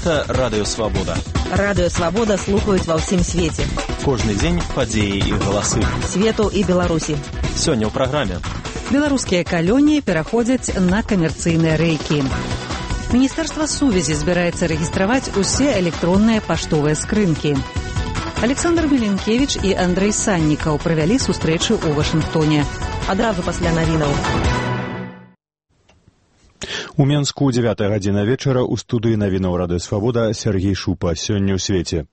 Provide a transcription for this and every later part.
Гэта Радыё Свабода. Радыё Свабода слухаюць ва ўсім свеце. Кожны дзень падзеі і галасы. Свету і Беларусі. Сёння ў праграме. Беларускія калоніі пераходзяць на камерцыйныя рэйкі. Міністэрства сувязі збіраецца рэгістраваць усе электронныя паштовыя скрынкі. Александр Меленкевіч і Андрэй Саннікаў правялі сустрэчу ў Вашынгтоне. Адразу пасля навінаў. У Менску 9 гадзіна вечара ў студыі навінаў Радыё Свабода Сергей Шупа. Сёння ў свеце.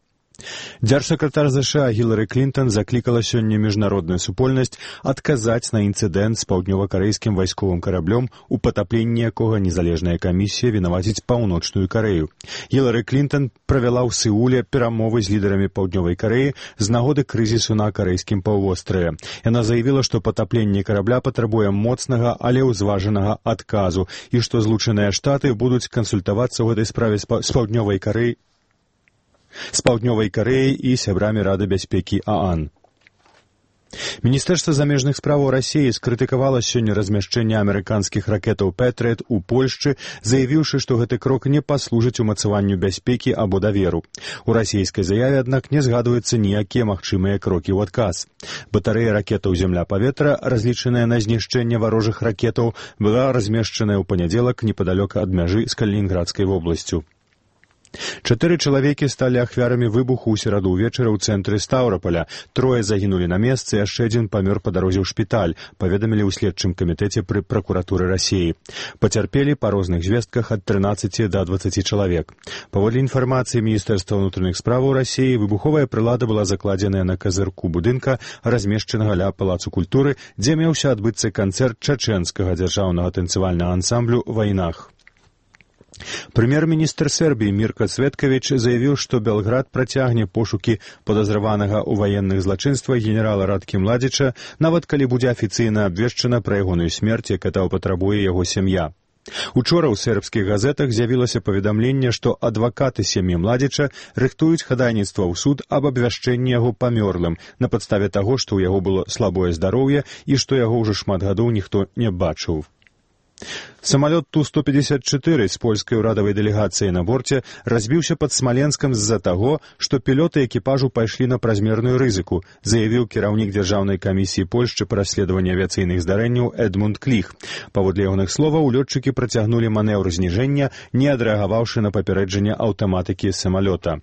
Дзяржсакратар ЗША Гілары Клінтон заклікала сёння міжнародную супольнасць адказаць на інцыдэнт з паўднёва-карэйскім вайсковым караблём, у патапленні якога незалежная камісія вінаваціць Паўночную Карэю. Гілары Клінтон правяла ў Сеуле перамовы з лідарамі Паўднёвай Карэі з нагоды крызісу на карэйскім паўвостраве. Яна заявіла, што патапленне карабля патрабуе моцнага, але ўзважанага адказу, і што Злучаныя Штаты будуць кансультавацца ў гэтай справе з Паўднёвай Карэяй і сябрамі Рады бяспекі ААН. Міністэрства замежных справаў Расіі скрытыкавала сёння размяшчэнне амерыканскіх ракетаў «Пэтрыёт» у Польшчы, заявіўшы, што гэты крок не паслужыць умацаванню бяспекі або даверу. У расійскай заяве, аднак, не згадваюцца ніякія магчымыя крокі ў адказ. Батарэя ракетаў «Зямля-паветра», разлічаная на знішчэнне варожых ракетаў, была размешчаная ў панядзелак непадалёка ад мяжы з Калінінградскай вобласцю. 4 чалавекі сталі ахвярамі выбуху ў сераду ўвечары ў цэнтры Стаўраполя. 3 загінулі на месцы, яшчэ адзін памёр па дарозе ў шпіталь, паведамілі ў следчым камітэце пры пракуратуры Расіі. Пацярпелі па розных звестках ад 13 да 20 чалавек. Паводле інфармацыі Міністэрства ўнутраных справаў Расіі, выбуховая прылада была закладзеная на казырку будынка, размешчанага ля Палацу культуры, дзе меўся адбыцца канцэрт чачэнскага дзяржаўнага танцавальнага ансамблю «Вайнах». Прэм'ер-міністр Сербіі Мірка Цветкавіч заявіў, што Белград працягне пошукі падазраванага ў ваенных злачынствах генерала Радкі Младзіча, нават калі будзе афіцыйна абвешчана пра ягоную смерць, як гэта патрабуе яго сям'я. Учора ў сербскіх газетах з'явілася паведамленне, што адвакаты сям'і Младзіча рыхтуюць хадайніцтва ў суд аб абвяшчэнні яго памёрлым на падставе таго, што ў яго было слабое здароўе і што яго ўжо шмат гадоў ніхто не бачыў. Самалёт Ту-154 з польскай урадавай дэлегацыяй на борце разбіўся пад Смаленскам з-за таго, што пілоты экіпажу пайшлі на празмерную рызыку, заявіў кіраўнік Дзяржаўнай камісіі Польшчы па расследаванні авіяцыйных здарэнняў Эдмунд Кліх. Паводле ягоных словаў, лётчыкі працягнулі манеўр зніжэння, не адрэагаваўшы на папярэджанне аўтаматыкі самалёта.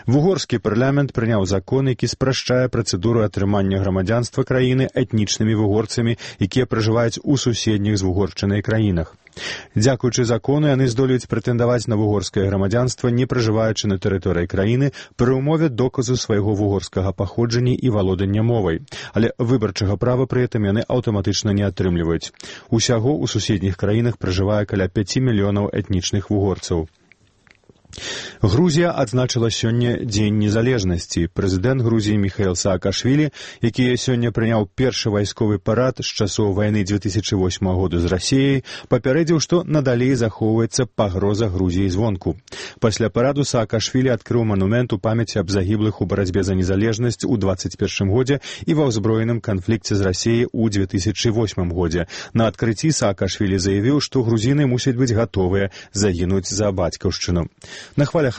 Вугорскі парламент прыняў закон, які спрашчае працэдуру атрымання грамадзянства краіны этнічнымі вугорцамі, якія пражываюць у суседніх з Вугоршчынай краінах. Дзякуючы закону, яны здолеюць прэтэндаваць на вугорскае грамадзянства, не пражываючы на тэрыторыі краіны, пры ўмове доказу свайго вугорскага паходжання і валодання мовай. Але выбарчага права пры гэтым яны аўтаматычна не атрымліваюць. Усяго ў суседніх краінах пражывае каля 5 мільёнаў этнічных вугорцаў. Грузія адзначыла сёння Дзень незалежнасці. Прэзідэнт Грузіі Міхаіл Саакашвілі, які сёння прыняў першы вайсковы парад з часоў вайны 2008 году з Расіяй, папярэдзіў, што надалей захоўваецца пагроза Грузіі звонку. Пасля параду Саакашвілі адкрыў манумент у памяці аб загіблых у барацьбе за незалежнасць у 2021 годзе і ва ўзброеным канфлікце з Расіяй у 2008 годзе. На адкрыцці Саакашвілі заявіў, што грузіны мусяць быць гатовыя загінуць за бацькаўшчыну. На хвалях